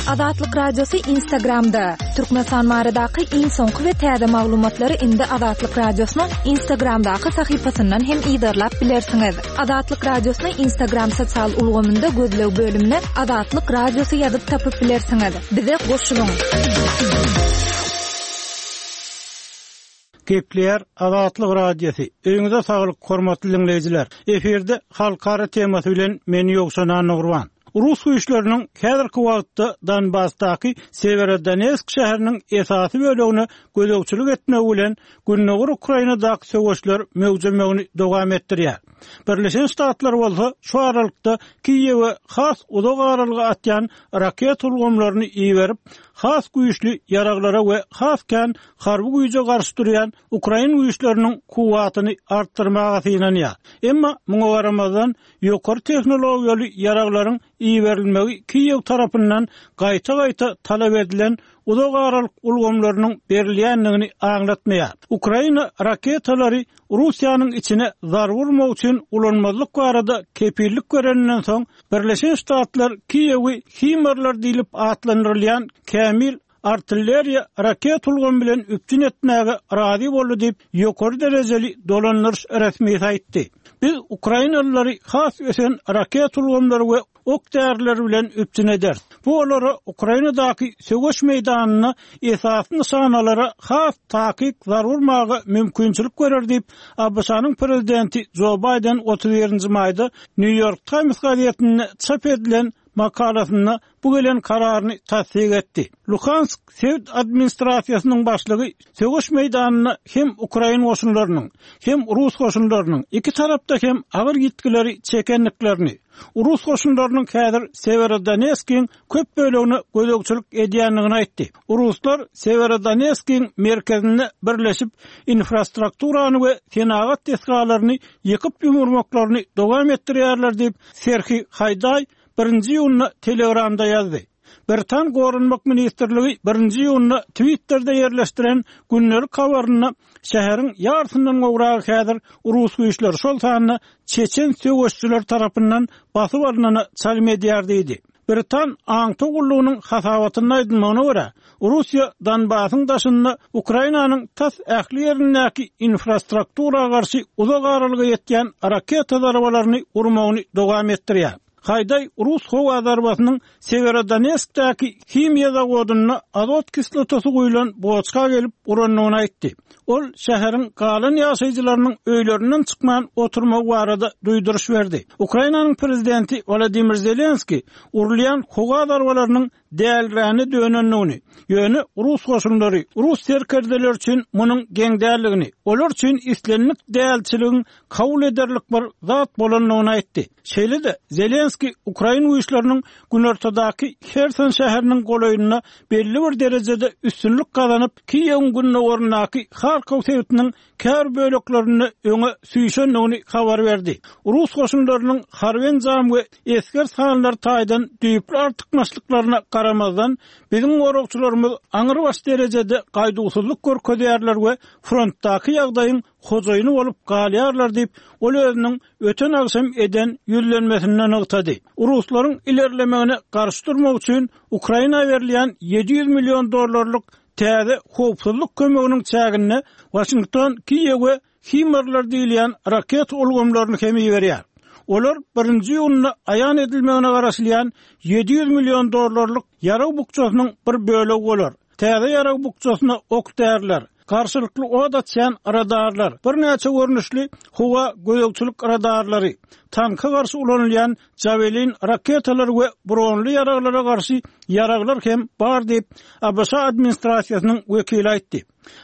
Azatlyk Radiosy Instagramda! Türkmenistan baradaky iň soňky we täze maglumatlary indi Azatlyk Radiosynyň Instagramdaky sahypasyndan hem yzarlap bilersiňiz. Azatlyk Radiosyny Instagram sosial ulgamynda gözleg bölümine Azatlyk Radiosy ýazyp tapyp bilersiňiz. Bize goşulyň! Gepleýär Azatlyk Radiosy. Öýüňize saglyk, hormatly diňleýjiler! Efirde halkara temasy bilen men Ýowşan Annagurban. Rus güýçleriniň häzirki wagtda Donbasdaky Sewerodonetsk şäheriniň esasy bölegine gözegçilik etmegi bilen gündogar Ukrainadaky söweşler möwjemegini dowam etdirýär. Birleşen Ştatlar bolsa şu aralykda Kiýewe has uzak aralyga atýan raketa ulgamlaryny iberip, has güýçli ýaraglara we has kän harby güýje garşy durýan ukrain güýçleriniň kuwwatyny artdyrmaga synanýar. Emma muňa garamazdan, ýokary tehnologiýaly ýaraglaryň iberilmegi Kiýew tarapyndan gaýta-gaýta talap edilen uzak aralyk ulgamlarynyň berilýändigini aňlatmaýar. Ukraina raketalary Russiýanyň içine zarba urmak üçin ulanmazlyk barada kepillik bereninden soň, Birleşen Ştatlar Kiýewi HIMARS-lar diýlip atlandyrylýan kämil artilleriýa raket ulgamy bilen üpjün etmäge razy boldy diýip, ýokary derejeli dolandyryş resmisi aýtdy. Biz ukrainalylary has ösen raket ulgamlary we ok-däriler bilen üpjün ederis. Bu olara Ukrainadaky söweş meýdanynda esasy nyşanalara has takyk zarba urmaga mümkinçilik berer diýip, ABŞ-nyň prezidenti Jo Baýden 31-nji maýda Nýu-Ýork Taýms gazetinde çap edilen makalasynda bu gelen kararyny tassyk etdi. Luhansk sebit administrasiýasynyň başlygy söweş meýdanynda hem ukrain goşunlarynyň, hem rus goşunlarynyň iki tarapda hem agyr ýitgileri çekendiklerini, rus goşunlarynyň häzir Sewerodonetskiň köp bölegine gözegçilik edýändigini aýtdy. Ruslar Sewerodonetskiň merkezinde birleşip, infrastrukturany we senagat desgalaryny ýykyp-ýumurmaklaryny dowam etdirýärler diýip, Serhiý Haýdaý birinji iýunda Telegramda ýazdy. Britan Goranmak ministrligi birinji iýunda Twitterde ýerleşdiren gündelik habarynda şäheriň ýarysyndan gowragy häzir rus güýçleri, şol sanda çeçen söweşijileri tarapyndan basyp alnana çalym edýär diýdi. Britan aňtaw gullugynyň hasabatynda aýdylmagyna görä, Russiýa Donbasyň daşynda Ukrainanyň tas ähli ýerindäki infrastruktura garşy uzak aralyga ýetýän raketa zarbalaryny urmagyny dowam etdirýär. Haýdaý rus howa zarbasynyň Sewerodonetskdäki himiýa zawodynda azot kislotasy guýlan boçka gelip urandygyny aýtdy. Ol şäheriň galan ýaşaýjylarynyň öýlerinden çykman oturmagy barada duýduryş berdi. Ukrainanyň prezidenti Wolodymyr Zelenskiý urulýan howa zarbalarynyň dälräne dönendigini, ýöne rus goşunlary, rus serkerdeleri üçin munuň geň däldigini, olar üçin islendik dälçiligiň kabul ederlik bir zat bolandygyny aýtdy. Şeýle-de, Zelenskiý ukrain güýçleriniň günortadaky Herson şäheriniň golaýynda belli bir derejede üstünlik gazanyp, Kiýewiň gündogaryndaky Harkow sebitiniň käbir böleklerinde öňe süýşendigini habar berdi. Rus goşunlarynyň harby enjam we esger sanlary taýdan düýpli artykmaçlyklaryna garamazdan, biziň goragçylarymyz aňrybaş derejede gaýduwsyzlyk görkezýärler we frontdaky ýagdaýyň hojaýyny bolup galýarlar diýip, ol özüniň öten agşam eden ýüzlenmesinde nygtady. Ruslaryň ilerlemegine garşy durmak üçin Ukraina berilýän 700 million dollarlyk täze howpsuzlyk kömeginiň çäginde Waşington Kiýewe HIMARS-lar diýilýän raketa ulgamlaryny hem iberýär. Olar birinji iýunda aýan edilmegine garaşylýan 700 million dollarlyk ýarag bukjasynyň bir bölegi bolar. Täze ýarag bukjasyna ok-däriler, garşylykly ot açýan radarlar, birnäçe görnüşli howa gözegçilik radarlary, tanka garşy ulanylýan Javelin raketalary we bronly ýaraglara garşy ýaraglar hem bar diýip, ABŞ administrasiýasynyň wekili aýtdy.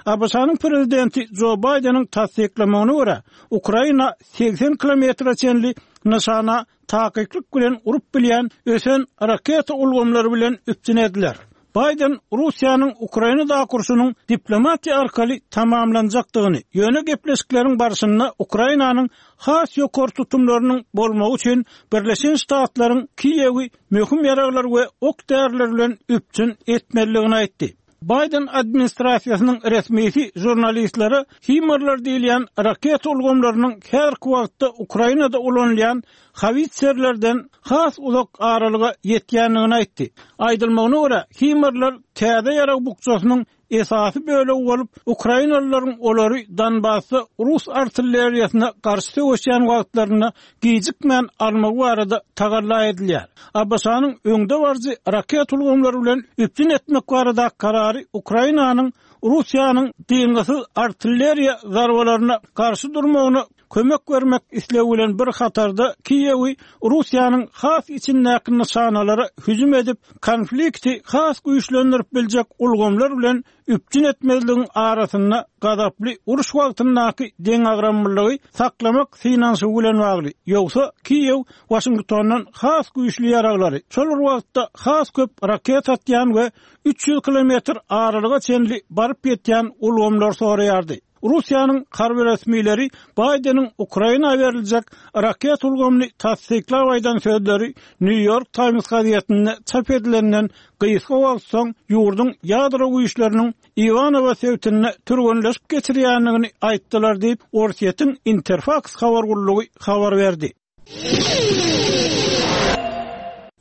ABŞ-nyň prezidenti Jo Baýdeniň tassyklamagyna görä, Ukraina 80 kilometre çenli nyşana takyklyk bilen urup bilýän ösen raketa ulgamlary bilen üpjün ediler. Baýden Russiýanyň Ukrainadaky urşunyň diplomatiýa arkaly tamamlanjakdygyny, ýöne gepleşikleriň barşynda Ukrainanyň has ýokary tutumlarynyň bolmagy üçin Birleşen Ştatlaryň Kiýewi möhüm ýaraglar we ok-däriler bilen üpjün etmelidigini aýtdy. Baýden administrasiýasynyň resmisi žurnalistlere HIMARS-lar diýilýän raketa ulgamlarynyň häzirki wagtda Ukrainada ulanylýan howitserlerden has uzak aralyga ýetýändigini aýtdy. Aýdylmagyna görä, HIMARS-lar täze ýarag bukjasynyň esasy bölegi bolup, ukrainalylaryň olary Donbasda rus artilleriýasyna garşy söweşýän wagtlarynda gijikmän almagy barada tagalla edilýär. ABŞ-nyň öňdebaryjy raketa ulgamlary bilen üpjün etmek baradaky karary Ukrainanyň Russiýanyň dyngysyz artilleriýa zarbalaryna garşy durmagyna kömek bermek islegi bilen bir hatarda Kiýewi Russiýanyň has içindäki nyşanalara hüjüm edip, konflikti has güýçlendirip biljek ulgamlar bilen üpjün etmezligiň arasynda gazaply uruş wagtyndaky deňagramlylygy saklamak synanyşygy bilen bagly. Ýogsa, Kiýew Waşingtondan has güýçli ýaraglary, şol bir wagtda has köp raketa atýan we 300 kilometr aralyga çenli baryp ýetýän ulgamlary soraýardy. Russiýanyň harby resmileri Baýdeniň Ukraina beriljek raketa ulgamyny tassyklap aýdan sözleri Nýu-Ýork Taýms gazetinde çap edilenden gysga wagt soň ýurduň ýadro güýçleriniň Iwanowo sebitinde türgenleşik geçirýändigini aýtdylar diýip, Orsýetiň Interfaks habar gullugy habar berdi.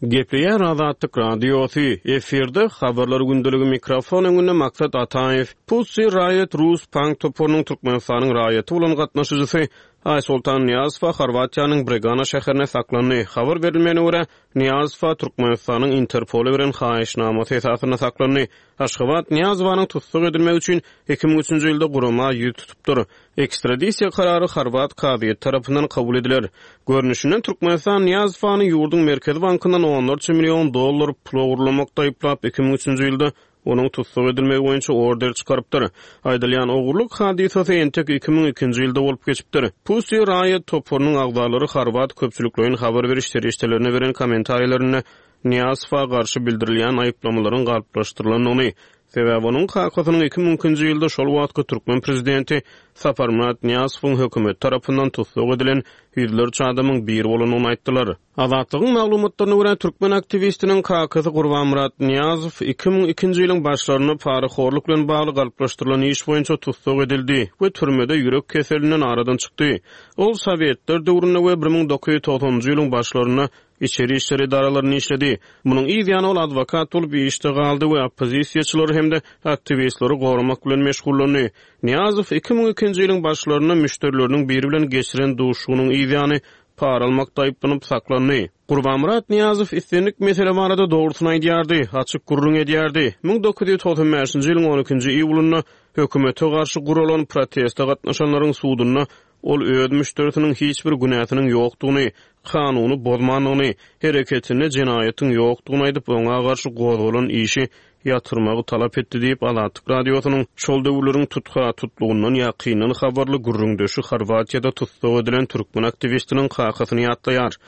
Gepleýär Azatlyk Radiosy, efirde Habarlar gündeligi mikrofon öňünde Maksat Ataýew. Pussy Riot rus punk toparynyň Türkmenistanyň raýaty bolan gatnaşyjysy Aýsoltan Nyýazowa Horwatiýanyň Bregana şäherinde saklandy. Habar berilmegine görä, Nyýazowa Türkmenistanyň Interpola beren haýyşnamasy esasynda saklandy. Aşgabat Nyýazowanyň tussag edilmegi üçin 2003-nji ýylda gurama ýüz tutupdyr. Ekstradisiýa karary horwat kazyýeti tarapyndan kabul ediler. Görnüşinden, Türkmenistan Nyýazowany ýurduň Merkezi bankyndan onlarça million dollar pul ogurlamakda aýyplap, 2003-nji ýylda onuň tussag edilmegi boýunça order çykarypdyr. Aýdylýan ogurlyk hadysasy entek 2002-nji ýylda bolup geçipdir. Pussy Riot toparynyň agzalary horwat köpçülikleýin habar beriş serişdelerine beren kommentariýalarynda Nyýazowa garşy bildirilýän aýyplamalaryň galplaşdyrylandygyny, sebäbi onuň kakasynyň 2002-nji ýylda şol wagtky türkmen prezidenti Saparmyrat Nyýazowyň hökümeti tarapyndan tussag edilen ýüzlerçe adamyň biri bolandygyny aýtdylar. Azatlygyň maglumatlaryna görä, türkmen aktiwistiniň kakasy Gurbanmyrat Nyýazow 2002-nji ýylyň başlarynda parahorluk bilen bagly galplaşdyrylan iş boýunça tussag edildi we türmede ýürek keselinden aradan çykdy. Ol sowetler döwründe we 1990-njy ýylyň başlarynda Içeri işler edaralarynda işledi. Munuň yz ýany ol adwokat bolup işde galdy we oppozisiýaçylary hem-de aktiwistleri goramak bilen meşgullandy. Nyýazow 2002-nji ýylyň başlarynda müşderileriniň biri bilen geçiren duşuşygynyň yz ýany para almakda aýyplanyp saklandy. Gurbanmyrat Nyýazow islendik mesele barada dogrusyny aýdýardy, açyk gürrüň edýärdi. 1995-nji ýylyň on ikinji iýulynda hökümete garşy guralan proteste gatnaşanlaryň sudunda Ol öz müşderisiniň hiç bir günäsiniň ýokdugyny, kanuny bozmandygyny, hereketinde jenaýatyň ýokdugyny aýdyp, oňa garşy gozgalan işi ýatyrmagy talap etdi diýip, Azatlyk Radiosynyň şol döwürleriň tutha-tutlugyndan ýakyndan habarly gürrüňdeşi Horwatiýada tussag edilen türkmen aktiwistiniň kakasyny ýatlaýar.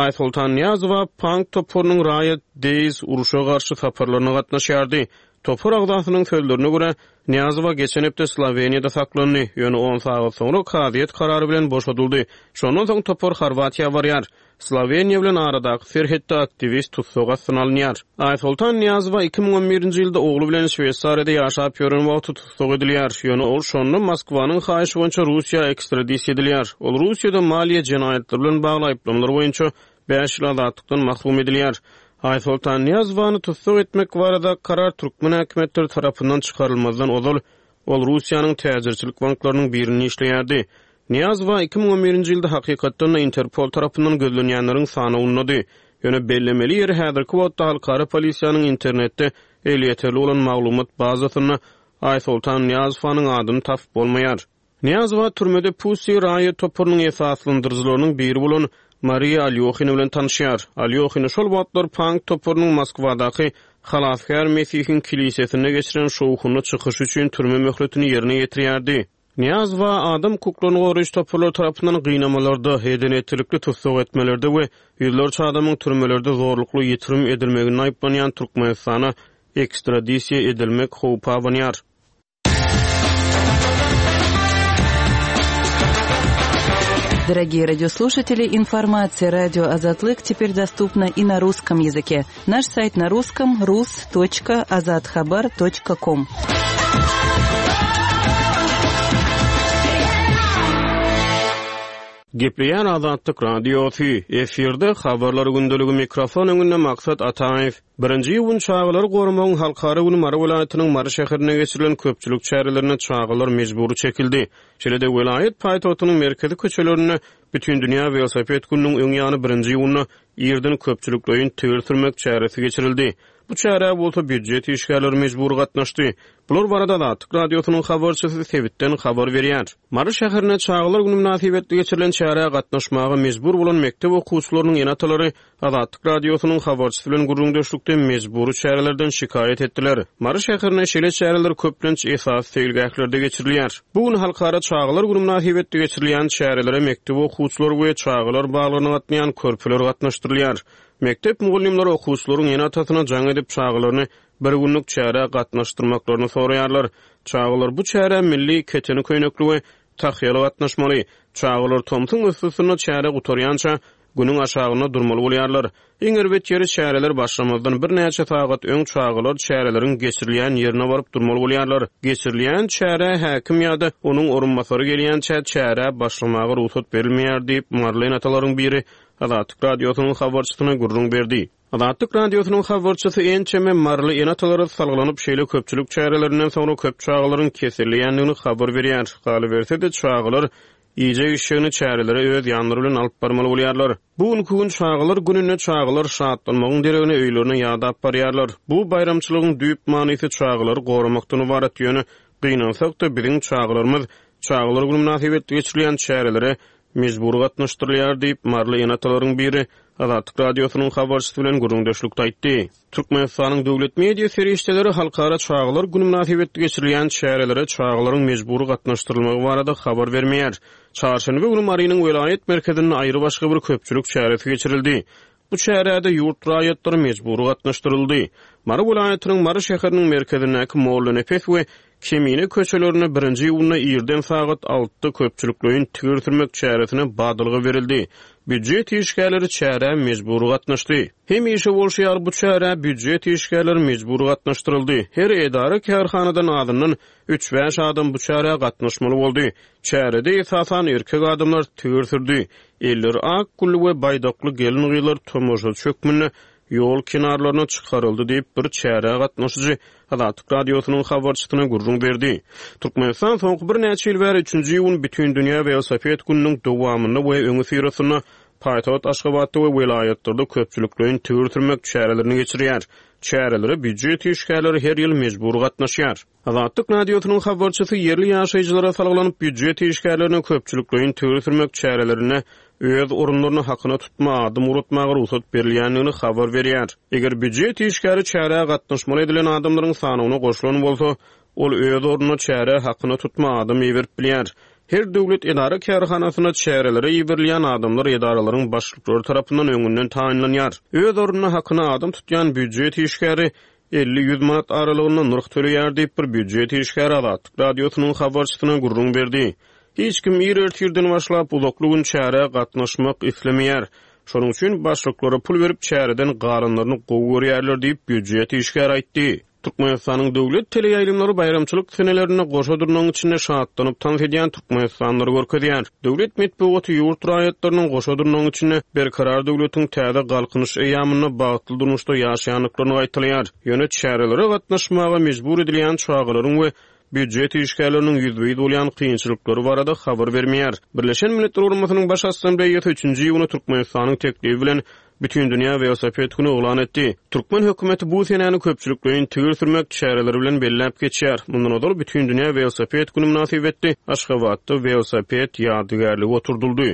Aýsoltan Nyýazowa punk toparynyň Riot Days urşa garşy saparlaryna gatnaşýardy. Topar agzasynyň sözlerine görä, Nyýazowa geçen hepde Sloweniýada saklandy, ýöne on sagat soňra kazyýet karary bilen boşadyldy. Şondan soň topar Horwatiýa barýar. Sloweniýa bilen aradaky serhetde aktiwist tussag astyna alynýar. Aýsoltan Nyýazowa 2011-nji ýylda ogly bilen Şweýsariýada ýaşap ýören wagty tussag edilýär, ýöne ol şonda Moskwanyň haýyşy boýunça Russiýa ekstradisiýa edilýär. Ol Russiýada maliýe jenaýatlary bilen bagly aýyplamalar boýunça bäş ýyl azatlykdan mahrum edilýär. Aýsoltan Nyýazowany tussag etmek baradaky karar türkmen häkimiýetleri tarapyndan çykarylmazdan ozal, ol Russiýanyň täjirçilik banklarynyň birinde işleýärdi. Nyýazowa 2011-nji ýylda hakykatdan-da Interpol tarapyndan gözlenýänleriň sanawyndady. Ýöne bellemeli ýeri häzirki wagtda halkara polisiýanyň internetde elýeterli bolan maglumat bazasynda Aýsoltan Nyýazowanyň adyny tapyp bolmaýar. Nyýazowa türmede Pussy Riot toparynyň esaslandyryjylarynyň biri bolan Mariýa Alýohina bilen tanyşýar. Alýohina şol wagtlar pank toparynyň Moskwadaky Halasgär Mesihiň kilisesinde geçiren şowhunly çykyşy üçin türme möhletini ýerine ýetirýärdi. Nyýazowa adam hukuklaryny goraýjy toparlar tarapyndan gynamalarda, eden-etdilikli tussag etmelerde we ýüzlerçe adamyň türmelerde zorlukly ýitirim edilmeginde aýyplanýan Türkmenistana ekstradisiýa edilmek howpy abanýar. Дорогие радиослушатели, информация радио Азатлык теперь доступна и на русском языке. Наш сайт на русском rus.azathabar.com. Gepleýär Azatlyk Radiosy, efirde Habarlar gündeligi mikrofon öňünde Maksat Ataýew. Birinji iýun Çagalary goramagyň halkara güni Mary welaýatynyň Mary şäherinde geçirilen köpçülik çärelerine çagalar mejbury çekildi. Şeýle-de welaýat paýtagtynyň merkezi köçelerinde Bütindünýä welosiped gününiň öň ýany birinji iýunda irden köpçülikleýin tigir sürmek çäresi geçirildi. Bu çärä bolsa býujet işgärleri mejbury gatnaşdy. Bular barada Azatlyk Radiosynyň habarçysy sebitden habar berýär. Mary şäherinde Çagalar güni mynasybetli geçirilen çärä gatnaşmaga mejbur bolan mekdep okuwçylarynyň ene-atalary Azatlyk Radiosynyň habarçysy bilen gürrüňdeşlikde mejbury çärelerden şikaýat etdiler. Mary şäherinde şeýle çäreler köplenç esasy seýilgählerde geçirilýär. Bu gün Halkara çagalar güni mynasybetli geçirilýän çärelere mekdep okuwçylary we çagalar baglaryna gatnaýan körpeler gatnaşdyrylýar. Mekdep mugallymlary okuwçylaryň ene-atasyna jaň edip, çagalaryny bir günlük çärä gatnaşdyrmaklaryny soraýarlar. Çagalar bu çärä milli keteni köýnekli we tahýaly gatnaşmaly. Çagalar tomsuň yssysynda çäre gutarýança Günüň aşagynda durmaly bolýarlar. Iň erbet ýeri çäreler başlamazdan birnäçe sagat öň çagalar çäreleriň geçirilýän ýerine baryp durmaly bolýarlar. Geçirilýän çärä häkim ýa-da onuň orunbasary gelýänçä çärä başlamaga rugsat berilmeýär diýip, maryly ene-atalaryň biri Azatlyk Radiosynyň habarçysyna gürrüň berdi. Azatlyk Radiosynyň habarçysy ençeme maryly ene-atalara salgylanyp, şeýle köpçülik çärelerinden soňra köp çagalaryň keselleýändigini habar berýär. Galyberse-de, çagalar Iýjek-içjegini çärelere öz ýanlary bilen alyp barmaly bolýarlar. Bu günki gün çagalar gününde çagalar şatlanmagyň deregine öýlerine ýadap barýarlar. Bu baýramçylygyň düýp manysy çagalary goramakdan ybarat, ýöne gynansak-da biziň çagalarymyz Çagalar güni mynasybetli geçirilýän çärelere mejbury gatnaşdyrylýar diýip, maryly ene-atalaryň biri Azatlyk Radiosynyň habarçysy bilen gürrüňdeşlikde aýtdy. Türkmenistanyň döwlet media serişdeleri Halkara çagalar güni mynasybetli geçirilýän çärelere çagalaryň mejbury gatnaşdyrylmagy barada habar bermeýär. Çarşenbe güni Marynyň welaýat merkezinde aýrybaşga bir köpçülik çäresi geçirildi. Bu çärä-de ýurt raýatlary mejbury gatnaşdyryldy. Mary welaýatynyň Mary şäheriniň merkezindäki Mollanepes we Kemine köçelerinde birinji iýunda irden sagat altyda köpçülikleýin tigir sürmek çäresine badalga berildi. Býujet işgärleri çärä mejbury gatnaşdy. Hemişe bolşy ýaly bu çärä býujet işgärleri mejbury gatnaşdyryldy. Her edara-kärhanadan azyndan üç-bäş adam bu çärä gatnaşmaly boldy. Çärede esasan erkek adamlar tigir sürdi. Elleri ak gülli we baýdakly gelin-gyzlar tomaşaçy hökmünde ýol kenarlaryna çykaryldy diýip, bir çärä gatnaşyjy Azatlyk Radiosynyň habarçysyna gürrüň berdi. Türkmenistan soňky birnäçe ýyl bäri üçünji iýun Bütindünýä welosiped gününiň dowamynda we öňüsyrasynda paýtagt Aşgabatda we welaýatlarda köpçülikleýin tigir sürmek çärelerini geçirýär. Çärelere býujet işgärleri her ýyl mejbury gatnaşýar. Azatlyk Radiosynyň habarçysy ýerli ýaşaýjylara salgylanyp, býujet işgärlerine köpçülikleýin tigir sürmek çärelerinde öz orunlaryna hakyna tutma adam ugratmaga rugsat berilýändigini habar berýär. Eger býujet işgäri çärä gatnaşmaly edilen adamlaryň sanawyna goşulan bolsa, ol öz ornuna çärä hakyna tutma adam iberip bilýär. Her döwlet edara-kärhanasynda çärelere iberilýän adamlar edaralaryň başlyklary tarapyndan öňünden taýynlanýar. Öz ornuna hakyna adam tutýan býujet işgäri 50-ýüz manat aralygynda nyrh töleýär diýip, bir býujet işgäri Azatlyk Radiosynyň habarçysyna gürrüň berdi. Hiç kim ir ertirden başlap uzakly gün çärä gatnaşmak islemeýär. Şonuň üçin başlyklara pul berip çäreden galanlaryny gowy görýärler diýip, býujet işgäri aýtdy. Türkmenistanyň döwlet teleýaýlymlary baýramçylyk senelerinde goşa dyrnagyň içinde şatlanyp tans edýän türkmenistanlylary görkezýär. Döwlet metbugaty ýurt raýatlarynyň goşa dyrnagyň içinde Berkarar döwletiň täze Galkynyş eýýamynda bagtly durmuşda ýaşaýandyklaryny gaýtalaýar. Ýöne çärelere gatnaşmaga mejbur edilýän çagalaryň we býujet işgärleriniň ýüzbe-ýüz bolýan kynçylyklary barada habar bermeýär. Birleşen Milletler Guramasynyň Baş Assambleýasy üçünji iýuna Türkmenistanyň teklibi bilen Bütindünýä welosiped güni yglan etdi. Türkmen hökümeti bu senäni köpçülikleýin tigir sürmek çäreleri bilen belläp geçýär. Mundan ozal Bütindünýä welosiped güni mynasybetli Aşgabatda welosiped ýadygärligi oturdyldy.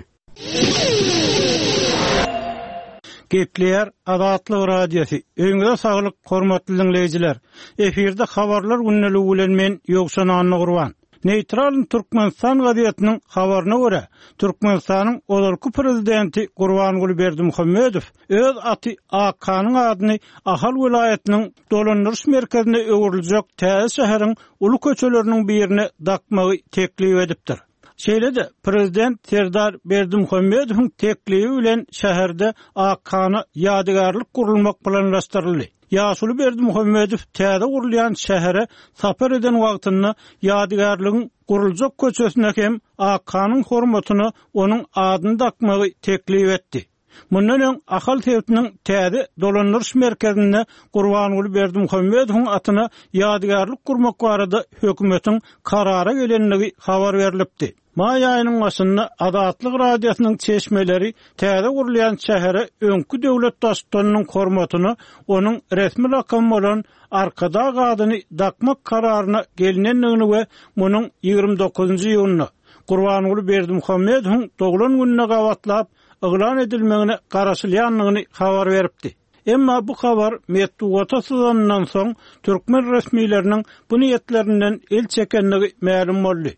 Gepleýär Azatlyk Radiosy, Öýüňize saglyk, hormatly diňleýjiler! Efirde Habarlar gündeligi bilen men, Ýowşan Annagurban. Neýtralnyý Türkmenistan gazetiniň habaryna görä, Türkmenistanyň ozalky prezidenti Gurbanguly Berdimuhamedow öz aty Akhanyň adyny Ahal welaýatynyň dolandyryş merkezine öwrüljek täze şäheriň uly köçeleriniň birine dakmagy teklip edipdir. Şeýle-de, prezident Serdar Berdimuhamedowyň teklibi bilen şäherde Akhana ýadygärlik gurulmak planlaşdyryldy. Ýaşuly Berdimuhamedow täze gurulýan şähere sapar eden wagtynda ýadygärligiň guruljak köçesine hem Akhanyň hormatyna onuň adyny dakmagy teklip etdi. Mundan öň Ahal sebitiniň täze dolandyryş merkezinde Gurbanguly Berdimuhamedowyň atyna ýadygärlik gurmak barada hökümetiň karara gelendigi habar berlipdi. Maý aýynyň başynda Azatlyk Radiosynyň çeşmeleri täze gurulýan şähere öňki döwlet baştutanynyň hormatyna onuň resmi lakamy bolan Arkadag adyny dakmak kararyna gelinendigini we munuň 29-njy iýunda, Gurbanguly Berdimuhamedowyň doglan gününe gabatlap, yglan edilmegine garaşylýandygyny habar beripdi. Emma bu habar metbugata syzanyndan soň, türkmen resmileriniň bu niýetlerinden el çekendigi mälim boldy.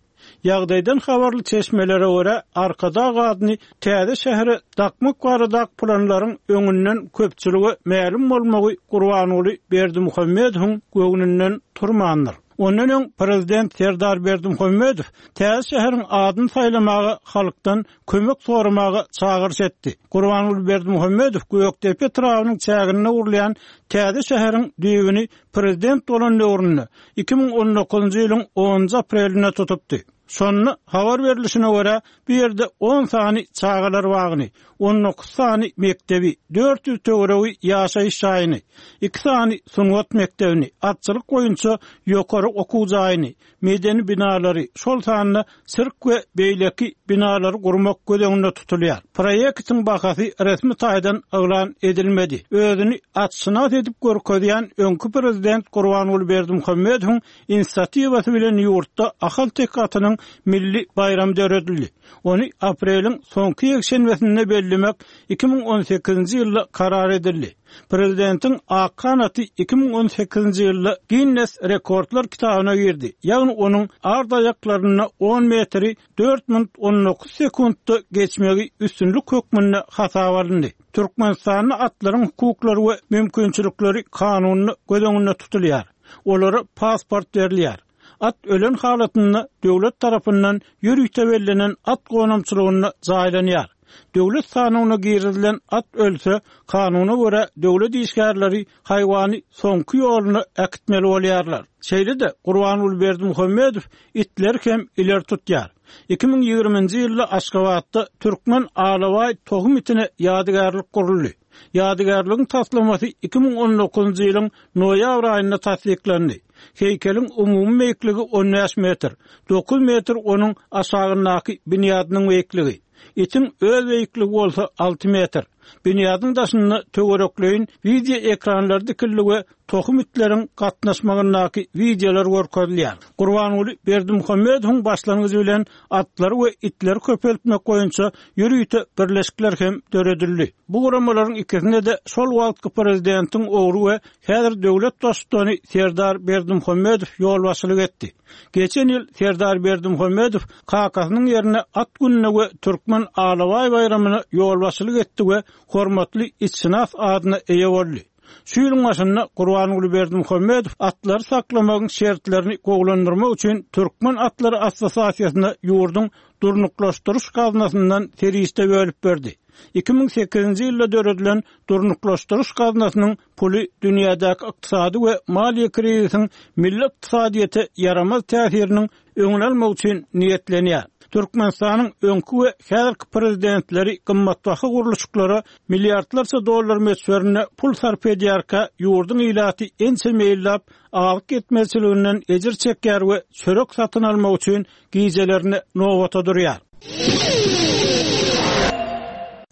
Ýagdaýdan habarly çeşmelere görä, Arkadag adyny täze şähere dakmak baradaky planlaryň öňünden köpçülige mälim bolmagy Gurbanguly Berdimuhamedowyň göwnünden turmandyr. Ondan öň prezident Serdar Berdimuhamedow täze şäheriň adyny saýlamaga halkdan kömek soramaga çagyryş etdi. Gurbanguly Berdimuhamedow Gökdepe etrabynyň çäginde gurulýan täze şäheriň düýbüni prezident bolan döwründe, 2019-njy ýylyň onunjy aprelinde tutupdy. Şonda habar berlişine görä, bu ýerde on sany çagalar bagyny, 19 sany mekdebi, 400 töweregi ýaşaýyş jaýyny, iki sany sungat mekdebini, atçylyk boýunça ýokary okuw jaýyny, medeni binalary, şol sanda sirk we beýleki binalary gurmak göz öňünde tutulýar. Proýektiň bahasy resmi taýdan yglan edilmedi. Özüni atşynas edip görkezýän öňki prezident Gurbanguly Berdimuhamedowyň inisiatiwasy bilen ýurtda ahalteke atynyň milli baýramy döredildi. Ony apreliň soňky ýekşenbesinde bellemek 2018-nji ýylda karar edildi. Prezidentiň Akhan aty 2018-nji ýylda Ginnes rekordlar kitabyna girdi, ýagny onuň ard aýaklarynda on metri dört minut 19 sekuntda geçmegi üstünlik hökmünde hasaba alyndy. Türkmenistanda atlaryň hukuklary we mümkinçilikleri kanunda göz öňünde tutulýar. Olara pasport berilýär. At ölen halatynda döwlet tarapyndan ýörite bellenen at gonamçylygynda jaýlanýar. Döwlet sanawyna girizilen at ölse, kanuna görä döwlet işgärleri haýwany soňky ýoluna äkitmeli bolýarlar. Şeýle-de, Gurbanguly Berdimuhamedow itleri hem ileri tutýar. 2020-nji ýylda Aşgabatda türkmen alabaý tohum itine ýadygärlik guruldy. Ýadygärligiň taslamasy 2019-njy ýylyň noýabr aýynda tassyklandy. Heýkeliň umumy beýikligi 15 metr, 9 metr onuň aşagyndaky binýadynyň beýikligi. Itiň öz beýikligi bolsa 6 metr. Binýadyň daşynda töwerekleýin wideo ekranlary dikildi we tohum itleriň gatnaşmagyndaky wideolar görkezilýär. Gurbanguly Berdimuhamedowyň başlangyjy bilen atlary we itleri köpeltmek boýunça ýörite birleşikler hem döredildi. Bu guramalaryň ikisinde-de şol wagtky prezidentiň ogly we häzir döwlet baştutany Serdar Berdimuhamedow ýolbaşçylyk etdi. Geçen ýyl Serdar Berdimuhamedow kakasynyň ýerine At gününe we Türkmen alabaý baýramyna ýolbaşçylyk etdi we hormatly itşynas adyna eýe boldy. Şu ýylyň başynda Gurbanguly Berdimuhamedow atlary saklamagyň şertlerini gowulandyrmak üçin Türkmen atlary assosiasiýasyna ýurduň Durnuklaşdyryş gaznasyndan serişde bölüp berdi. 2008-nji ýylda döredilen Durnuklaşdyryş gaznasynyň puly dünýädäki ykdysady we maliýe krizisiň milli ykdysadyýete ýaramaz täsiriniň öňüni almak üçin niýetlenýär. Türkmenistanyň öňki we häzirki prezidentleri gymmatbaha gurluşyklara milliardlarça dollar möçberinde pul sarp edýärkä, ýurduň ilaty ençeme ýyllap azyk ýetmezçiliginden ejir çekýär we çörek satyn almak üçin gijelerine nobata durýar.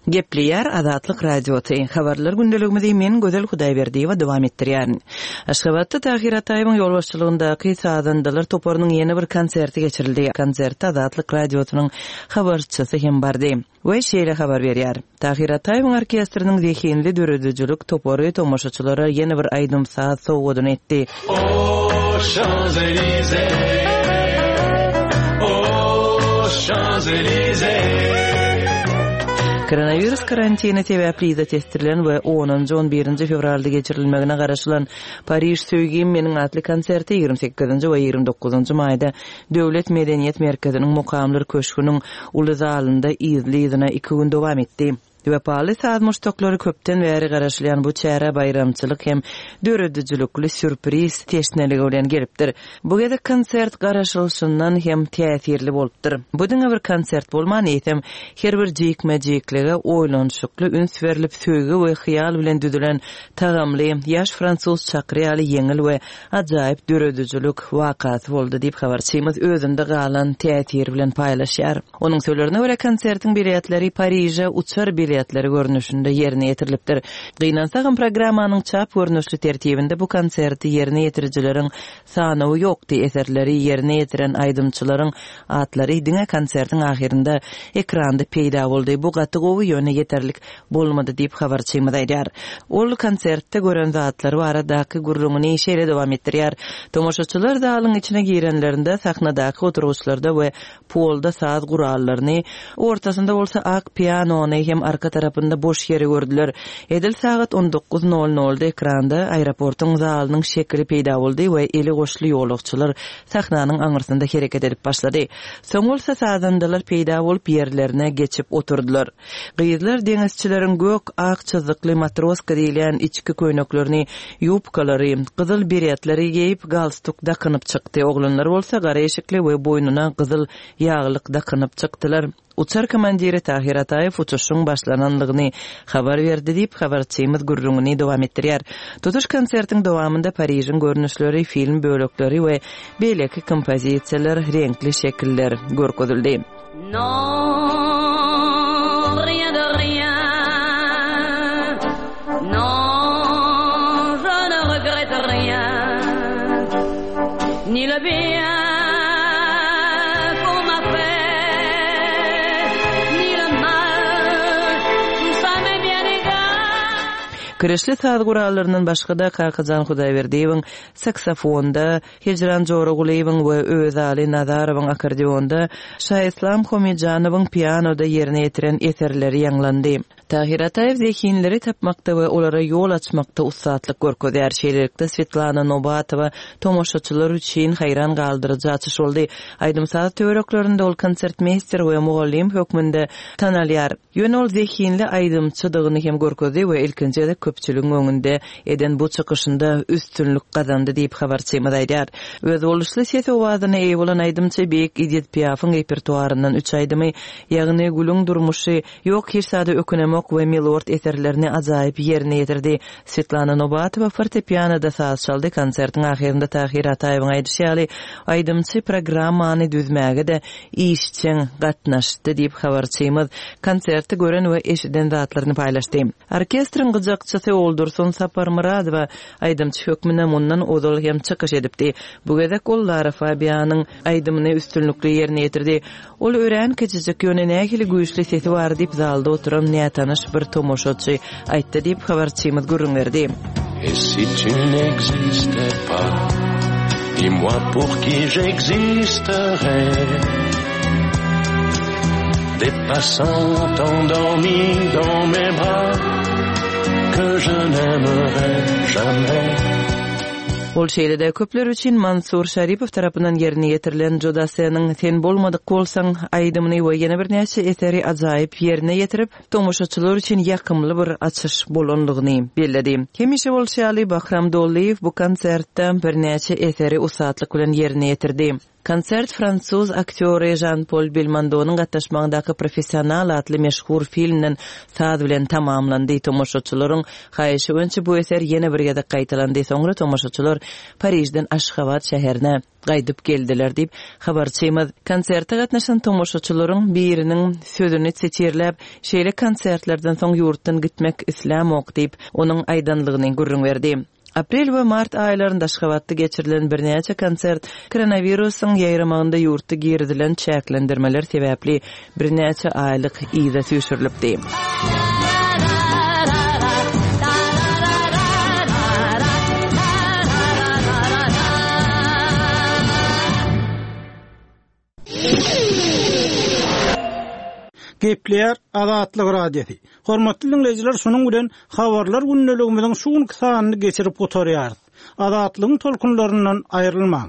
Gepleýär Azatlyk Radiosy. Habarlar gündeligimizi men Gözel Hudaýberdiýewa dowam etdirýärin. Aşgabatda Tahyr Ataýewiň ýolbaşçylygyndaky sazandalar toparynyň ýene bir konserti geçirildi. Konserte Azatlyk Radiosynyň habarçysy hem bardy we şeýle habar berýär, Tahyr Ataýewiň orkestriniň zehinli döredijilik topary tomaşaçylara ýene bir aýdym-saz sowgadyny etdi. Koronawirus karantini sebäpli yza tesdirilen we onunjy, on birinji fewralda geçirilmegine garaşylan Pariž söýgim meniň atly konserti 28-nji we 29-njy maýda Döwlet medeniýet merkeziniň Mukamlar köşgüniň uly zalynda yzly-yzyna iki gün dowam etdi. Wepaly saz muşdaklary köpden bäri garaşylýan bu çärä baýramçylyk hem döredijilikli sýurpriz teşneligi bilen gelipdir. Bu gezek konsert garaşylyşyndan hem täsirli bolupdyr. Bu diňe bir konsert bolman, eýsem, her bir jikme-jiklige oýlanyşykly üns berlip, söýgi we hyýal bilen düzülen tagamly, ýaş fransuz çakyry ýaly ýeňil we ajaýyp döredijilik wakasy boldy diýip, habarçymyz özünde galan täsir bilen paýlaşýar. Onuň sözlerine görä, konsertiň biletleri Pariže uçar biletleri görnüşinde ýerine ýetirilipdir. Gynansagam, programmanyň çap görnüşli tertibinde bu konserti ýerine ýetirijileriň sanawy ýokdy, eserleri ýerine ýetiren aýdymçylaryň atlary diňe konsertiň ahyrynda ekranda peýda boldy. Bu gaty gowy, ýöne ýeterlik bolmady diýip, habarçymyz aýdýar. Ol konsertde gören zatlary baradaky gürrüňini şeýle dowam etdirýär, Tomaşaçylar zalyň içine girenlerinde sahnadaky oturgyçlarda we polda saz gurallaryny, ortasynda bolsa ak pianony hem arka tarapynda boş ýeri gördüler. Edil sagat on dokuz nol nolda ekranda aeroportuň zalynyň şekili peýda boldy we eli goşly ýolagçylar sahnanyň aňyrsynda hereket edip başlady. Soň bolsa sazandalar peýda bolup ýerlerine geçip oturdylar. Gyzlar deňizçileriň gök, ak çyzykly matroska diýilýän içki köýneklerini, ýubkalary, gyzyl beretleri geýip, galstuk dakynyp çykdy. Oglanlar bolsa gara eşikli we boýnuna gyzyl ýaglyk dakynyp çykdylar. Uçar komandiri Tahyr Ataýew uçuşyň başlananlygyny habar berdi diýip, habarçymyz gürrüňini dowam etdirýär. Tutuş konsertiň dowamynda Parižiň görnüşleri, film bölekleri we beýleki kompozisiýalar, reňkli şekiller görkezildi. Non, rien de rien. Non, je ne regrette rien. Ni le bien qu'on m'a fait, ni le mal. Tout ça m'est bien égal. Kirişli saz gurallaryndan başga-da Kakajan Hudaýberdiýewiň saksofonda, Hijran Joragulyýewiň we Öwezaly Nazarowyň akkordeonda, Şaislam Homijanowyň pianoda ýerine ýetiren eserleri ýaňlandy. Tahyr Ataýew zehinleri tapmakda we olara ýol açmakda ussatlyk görkezýär. Şeýlelikde, Swetlana Nobatowa tomaşaçylar üçin haýran galdyryjy açyş boldy. Aýdym-saz töwereklerinde ol konsertmeýster we mugallym hökmünde tanalýar. Ýöne ol zehinli aýdymçydygyny hem görkezdi we ilkinji gezek köpçüligiň öňünde eden bu çykyşynda üstünlik gazandy diýip, habarçymyz aýdýar. Özboluşly ses-owazyna eýe bolan aýdymçy beýik Edit Piafyň repertuaryndan üç aýdymy, ýagny Gülüň durmuşy, Ýok, hiç zada ökünemok we Milord eserlerini ajaýyp ýerine ýetirdi. Swetlana Nobatowa fortepianoda saz çaldy, konsertiň ahyrynda Tahyr Ataýewiň aýdyşy ýaly, aýdymçy programmany düzmäge-de işjeň gatnaşdy diýip, habarçymyz konsertde gören we eşiden zatlaryny paýlaşdy. Orkestriň gyjakçysy Oldursun Saparmyradowa aýdymçy hökmünde mundan ozal hem çykyş edipdi. Bu gezek ol Lara Fabianyň aýdymyny üstünlikli ýerine ýetirdi. Ol örän kiçijik, ýöne nähili güýçli sesi bar diýip, zalda oturan nätanyş bir tomaşaçy aýtdy diýip, habarçymyz gürrüň berdi. Et si tu n'existais pas, dis-moi pour qui j'existerais Des passants endormis dans mes bras que je n'aimerai jamais. Ol şeýle-de köpler üçin Mansur Şaripow tarapyndan ýerine ýetirilen Joe Dasseniň Sen bolmadyk bolsaň aýdymyny we ýene birnäçe eseri ajaýyp ýerine ýetirip, tomaşaçylar üçin ýakymly bir açyş bolanlygyny belledi. Hemişe bolşy ýaly, Bahram Dollyýew bu konsertde birnäçe eseri ussatlyk bilen ýerine ýetirdi. Konsert fransuz aktýory Žan-Pol Belmondonyň gatnaşmagyndaky Professional atly meşhur filmden saz bilen tamamlandy. Tomaşaçylaryň haýyşy boýunça bu eser ýene bir gezek gaýtalandy. Soňra tomaşaçylar Parižden Aşgabat şäherine gaýdyp geldiler diýip, habarçymyz konserte gatnaşan tomaşaçylaryň biriniň sözüni sitirläp, şeýle konsertlerden soň ýurtdan gitmek islämok diýip, onuň aýdanlygyny gürrüň berdi. Aprel we mart aýlarynda Aşgabatda geçirilen birnäçe konsert koronawirusyň ýaýramagynda ýurtda girizilen çäklendirmeler sebäpli birnäçe aýlyk yza süýşürilipdi. Gepleýär Azatlyk Radiosy. Hormatly diňleýjiler, şunuň bilen Habarlar gündeligimiziň şu günki sanyny geçirip gutarýarys. Azatlygyň tolkunlaryndan aýrylmaň!